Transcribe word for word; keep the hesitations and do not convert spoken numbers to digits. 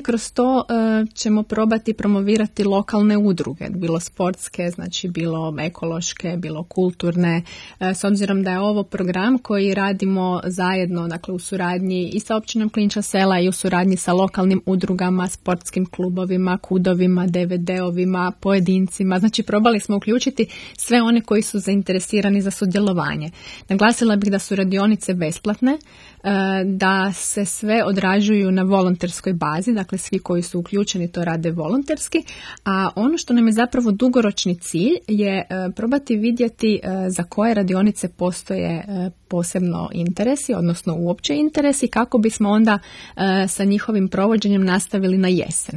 Kroz to e, ćemo probati promovirati lokalne udruge, bilo sportske, znači bilo ekološke, bilo kulturne, e, s obzirom da je ovo program koji radimo zajedno, dakle u suradnji i sa općinom Klinča sela i u suradnji sa lokalnim udrugama, sportskim klubovima, kudovima, de ve de-ovima, pojedincima. Znači probali smo uključiti sve one koji su zainteresirani za sudjelovanje. Naglasila bih da su radionice besplatne, da se sve odrađuju na volonterskoj bazi, dakle svi koji su uključeni to rade volonterski, a ono što nam je zapravo dugoročni cilj je probati vidjeti za koje radionice postoje posebno interesi, odnosno uopće interesi, kako bismo onda sa njihovim provođenjem nastavili na jesen.